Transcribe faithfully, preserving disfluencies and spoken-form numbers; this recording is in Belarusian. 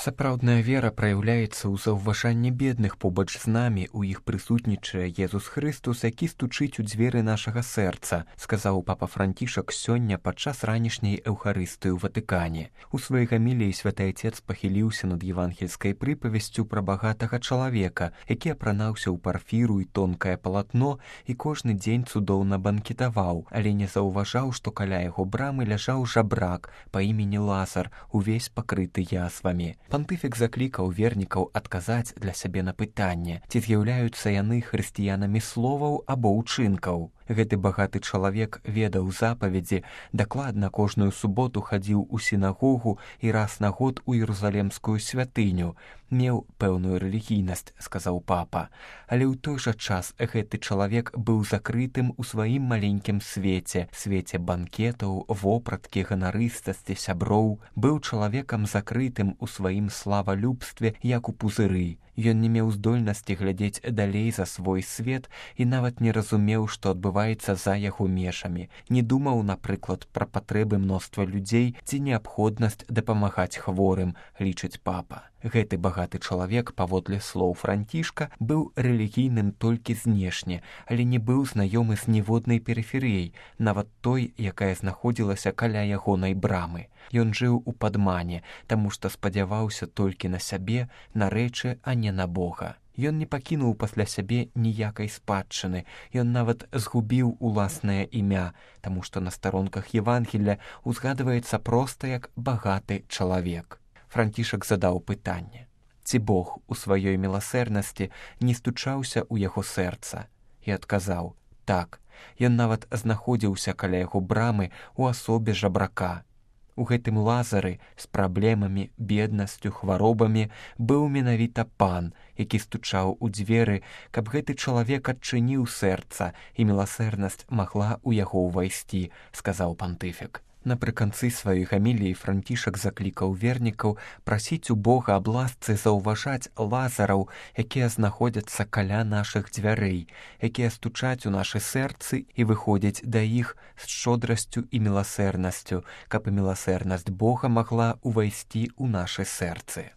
Сапраўдная вера праяўляецца ў заўважанні бедных побач з намі, у іх прысутнічае Езус Хрыстус, які стучыць у дзверы нашага сэрца, сказаў папа Францішак сёння падчас ранішняй эўхарыстыі ў Ватыкане. У сваёй гаміліі святы Айцец пахіліўся над евангельскай прыпавесцю пра багатага чалавека, які апранаўся ў парфіру і тонкае палатно і кожны дзень цудоўна банкетаваў, але не заўважаў, што каля яго брамы ляжаў жабрак па імені Лазар, увесь пакрыты язвамі. Пантыфік заклікаў вернікаў адказаць для сябе на пытанне, ці з'яўляюцца яны хрысціянамі словаў або ўчынкаў. Гэты багаты чалавек ведаў запаведзі, дакладна кожную суботу хадзіў у сінагогу і раз на год у Іерусалемскую святыню. Меў пэўную рэлігійнасць, сказаў папа. Але ў той жа час гэты чалавек быў закрытым у сваім маленькім свеце, свеце банкетаў, вопраткі, ганарыстасці, сяброў. Быў чалавекам закрытым у сваім славалюбстве, як у пузыры. Ён не меў здольнасці глядзець далей за свой свет і нават не разумеў, што адбываецца за яго межамі. Не думаў, напрыклад, пра патрэбы мноства людзей ці неабходнасць дапамагаць хворым, лічыць папа. Гэты багаты чалавек, паводле слоў Францішка, быў рэлігійным толькі знешне, але не быў знаёмы з ніводнай перыферыяй, нават той, якая знаходзілася каля ягонай брамы. Ён жыў у падмане, таму што спадзяваўся толькі на сябе, на рэчы, а не на Бога. Ён не пакінуў пасля сябе ніякай спадчыны, ён нават згубіў уласнае імя, таму што на старонках Евангелля узгадваецца проста як багаты чалавек. Францішак задаў пытанне: ці Бог у сваёй міласэрнасці не стучаўся ў яго сэрца? І адказаў: так, ён нават знаходзіўся каля яго брамы ў асобе жабрака. У гэтым Лазары з праблемамі, беднасцю, хваробамі быў менавіта пан, які стучаў у дзверы, каб гэты чалавек адчыніў сэрца і міласэрнасць магла ў яго ўвайсці, сказаў пантыфік. Напрыканцы сваёй гаміліі Францішак заклікаў вернікаў прасіць у Бога аб ласцы заўважаць лазараў, якія знаходзяцца каля нашых дзвярэй, якія стучаць у нашы сэрцы і выходзяць да іх з шчодрасцю і міласэрнасцю, каб і міласэрнасць Бога магла ўвайсці ў нашы сэрцы.